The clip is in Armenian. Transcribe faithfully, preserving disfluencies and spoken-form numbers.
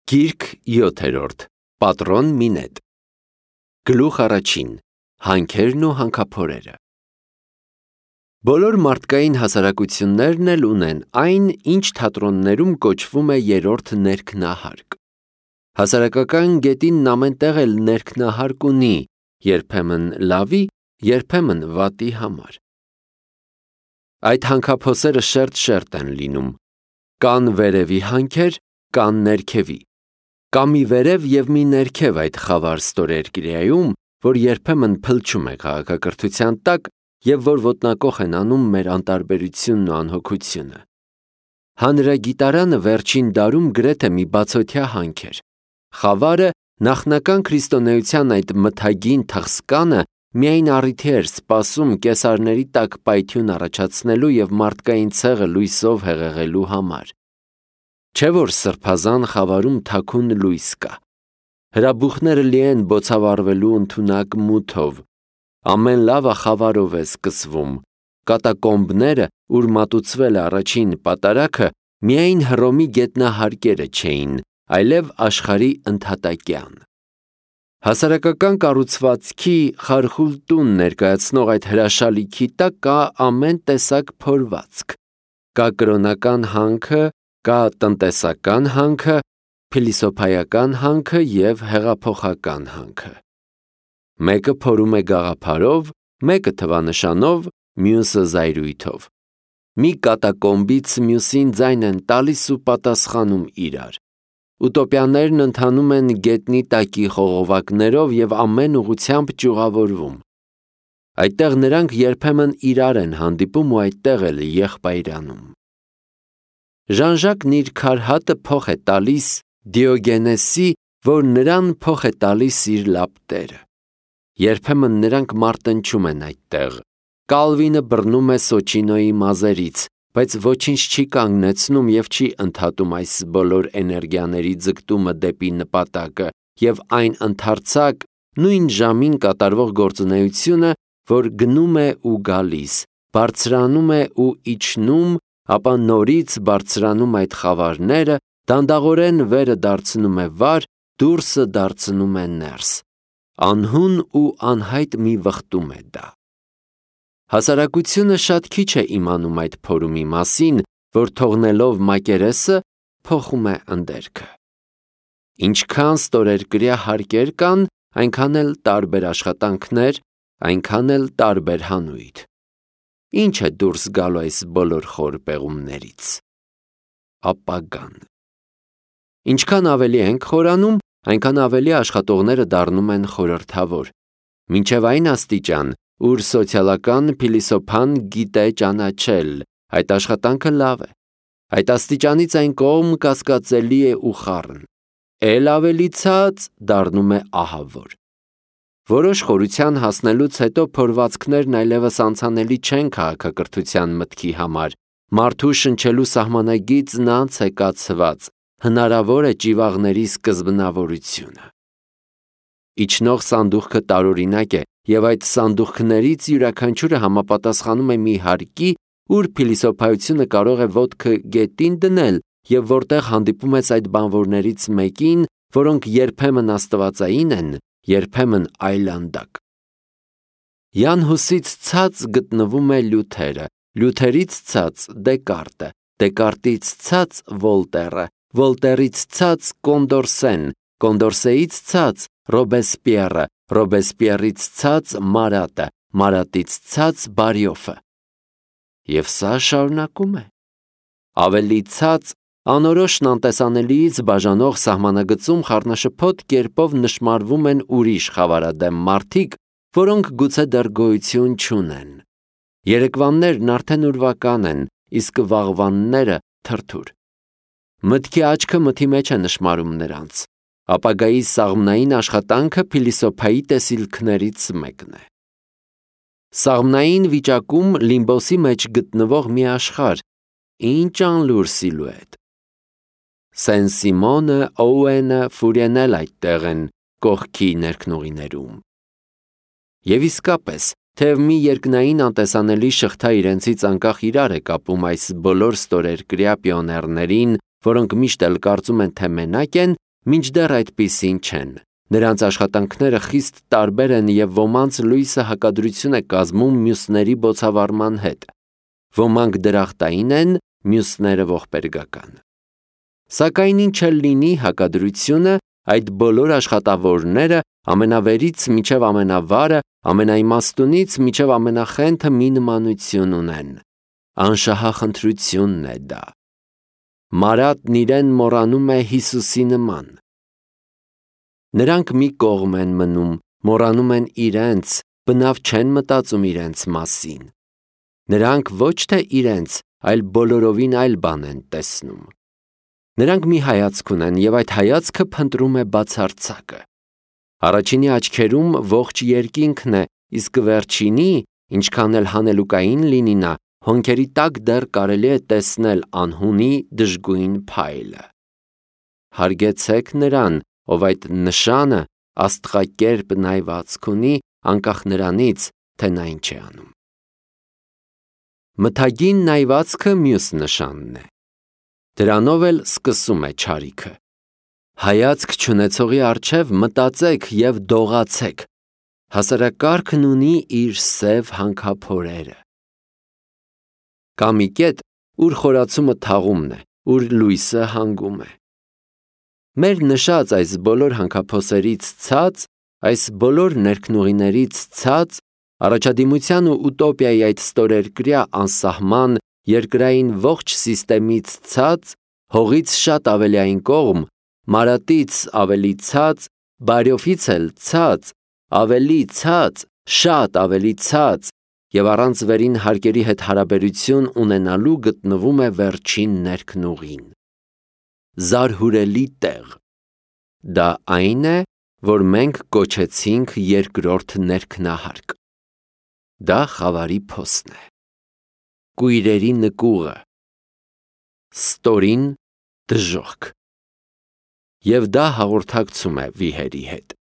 Գիրք յոթերորդ. Պատրոն Մինետ Գլուխ առաջին. Հանքերն ու հանքափորերը Բոլոր մարդկային հասարակություններն էլ ունեն այն, ինչ թատրոններում կոչվում է երրորդ ներքնահարկ։ Հասարակական գետինն ամենտեղ էլ ներքնահարկ ունի, երբեմն լավի, երբեմն վատի համար։ Այդ հանքափոսերը շերտ-շերտ են լինում։ Կան վերևի հանքեր, կան ներքևի։ Կա մի վերև և մի ներքև այդ խավար ստորերկրյայում, որ երբեմն փլչում է քաղաքակրթության տակ և որ ոտնակոխ են անում մեր անտարբերությունն ու անհոգությունը։ Հանրագիտարանը վերջին դարում գրեթե մի բացօթյա հանք էր։ Խավարը նախնական քրիստոնեության այդ մթագին թխսկանը միայն առիթի էր սպասում կեսարների տակ պայթյուն առաջացնելու և մարդկային ցեղը լույսով հեղեղելու համար։ Չէ՞ որ սրբազան խավարում թաքուն լույս կա։ Հրաբուխները լի են բոցավառվելու ընդունակ մութով։ Ամեն լավը խավարով է սկսվում։ Կատակոմբները, ուր մատուցվել է առաջին պատարագը, միայն Հռոմի գետնահարկերը չէին, այլև աշխարհի ընդհատակյան։ Հասարակական կառուցվածքի խարխուլ տուն ներկայացնող այդ հրաշալիքի տակ կա ամեն տեսակ փորվածք։ Կա կրոնական հանքը, կա տնտեսական հանքը, փիլիսոփայական հանքը և հեղափոխական հանքը։ Մեկը փորում է գաղափարով, մեկը թվանշանով, մյուսը զայրույթով։ Մի կատակոմբից մյուսին ձայն են տալիս ու պատասխանում իրար։ Ուտոպիաներն ընթանում են գետնի տակի խողովակներով և ամեն ուղղությամբ ճյուղավորվում։ Այդտեղ նրանք երբեմն իրար են հանդիպում ու այդտեղ էլ եղբայրանում։ Ժան-Ժակն իր քարհատը փոխ է տալիս Դիոգենեսի, որ նրան փոխ է տալիս իր լապտերը։ Երբեմն նրանք մարտնչում են այդտեղ։ Կալվինը բռնում է Սոչինոյի մազերից, բայց ոչինչ չի կանգնեցնում և չի ընդհատում այս բոլոր էներգիաների ձգտումը դեպի նպատակը և այն ընդարձակ, նույն ժամին կատարվող գործունեությունը, որ գնում է ու գալիս, բարձրանում է ու իջնում, ապա նորից բարձրանում այդ խավարները, դանդաղորեն վերը դարձնում է վար, դուրսը դարձնում է ներս։ Անհուն ու անհայտ մի վխտում է դա։ Հասարակությունը շատ քիչ է իմանում այդ փորումի մասին, որ թողնելով մակերեսը, փոխում է ընդերքը։ Ինչքան ստորերկրյա հարկեր կան, այնքան էլ տարբեր աշխատանքներ, այնքան էլ տարբեր հանույթ։ Ինչ է դուրս գալու այս բոլոր խոր պեղումներից։ Ապագան։ Ինչքան ավելի ենք խորանում, այնքան ավելի աշխատողները դառնում են խորհրդավոր, մինչև այն աստիճան, ուր սոցիալական փիլիսոփան գիտե ճանաչել, այդ աշխատանքը լավ է։ Այդ աստիճանից այն կողմ կասկածելի է ու խառն։ Էլ ավելի ցած դառնում է ահավոր։ Որոշ խորության հասնելուց հետո փորվածքներն այլևս անցանելի չեն քաղաքակրթության մտքի համար, մարդու շնչելու սահմանագիծն անց է կացված, հնարավոր է ճիվաղների սկզբնավորությունը։ Իջնող սանդուղքը տարօրինակ է, և այդ սանդուղքներից յուրաքանչյուրը համապատասխանում է մի հարկի, ուր փիլիսոփայությունը կարող է ոտքը գետին դնել և որտեղ հանդիպում ես այդ բանվորներից մեկին, որոնք երբեմն աստվածային են, երբեմն այլանդակ։ Յան Հուսից ցած գտնվում է Լյութերը, Լյութերից ցած Դեկարտը, Դեկարտից ցած Վոլտերը, Վոլտերից ցած Կոնդորսեն, Կոնդորսեից ցած Ռոբեսպիերը, Ռոբեսպիերից ցած Մարատը, Մարատից ցած Բարյոֆը։ Եվ սա շարունակում է։ Ավելի ցած անորոշն անտեսանելիից բաժանող սահմանագծում խառնաշփոթ կերպով նշմարվում են ուրիշ խավարադեմ մարդիկ, որոնք գուցե դեռ գոյություն չունեն։ Երեկվաններն արդեն ուրվական են, իսկ վաղվանները թրթուր։ Մտքի աչքը մթի մեջ է նշմարում նրանց։ Ապագայի սաղմնային աշխատանքը փիլիսոփայի տեսիլքներից մեկն է։ Սաղմնային վիճակում լիմբոսի մեջ գտնվող մի աշխարհ, ինչ անլուր սիլուետ։ Սեն-Սիմոնը, Օուենը, Ֆուրիեն էլ այդտեղ են, կողքի ներքնուղիներում։ Եվ իսկապես, թեև մի երկնային անտեսանելի շղթա իրենցից անկախ իրար է կապում այս բոլոր ստորերկրյա պիոներներին, որոնք միշտ էլ կարծում են, թե մենակ են, մինչդեռ այդպիսին չեն։ Նրանց աշխատանքները խիստ տարբեր են և ոմանց լույսը հակադրություն է կազմում մյուսների բոցավառման հետ։ Ոմանք դրախտային են, մյուսները ողբերգական։ Սակայն ինչ էլ լինի հակադրությունը, այդ բոլոր աշխատավորները ամենավերից մինչև ամենավարը, ամենաիմաստունից մինչև ամենախենթը մի նմանություն ունեն։ Անշահախնդրությունն է դա։ Մարատն իրեն մոռանում է Հիսուսի նման։ Նրանք մի կողմ են մնում, մոռանում են իրենց, բնավ չեն մտածում իրենց մասին։ Նրանք ոչ թե իրենց, այլ բոլորովին այլ բան են տեսնում։ Նրանք մի հայացք ունեն և այդ հայացքը փնտրում է բացարձակը։ Առաջինի աչքերում ողջ երկինքն է, իսկ վերջինի, ինչքան էլ հանելուկային լինի նա, հոնքերի տակ դեռ կարելի է տեսնել անհունի դժգույն փայլը։ Հարգեցեք նրան, ով այդ նշանը աստղակերպ նայվածք ունի, անկախ նրանից, թե նա ինչ է անում։ Մթագին նայվածքը մյուս նշանն է։ Դրանով էլ սկսում է չարիքը։ Հայացք չունեցողի առջև մտածեք և դողացեք։ Հասարակարգն ունի իր սև հանքափորերը։ Կա մի կետ, ուր խորացումը թաղումն է, ուր լույսը հանգում է։ Մեր նշած այս բոլոր հանքափոսերից ցած, այս բոլոր ներքնուղիներից ցած, առաջադիմության ու ուտոպիայի այդ ստորերկրյա անսահման երկրային ողջ սիստեմից ցած, հողից շատ ավելի այն կողմ, մարատից ավելի ցած, բարյոֆից էլ ցած, ավելի ցած, շատ ավելի ցած և առանց վերին հարկերի հետ հարաբերություն ունենալու գտնվում է վերջին ներքնուղին։ Զարհուրելի տեղ։ Դա այն է, որ մենք կոչեցինք երկրորդ ներքնահարկ։ Դա խավարի փոսն է։ Կույրերի նկուղը։ Ստորին դժոխք։ Եվ դա հաղորդակցում է վիհերի հետ։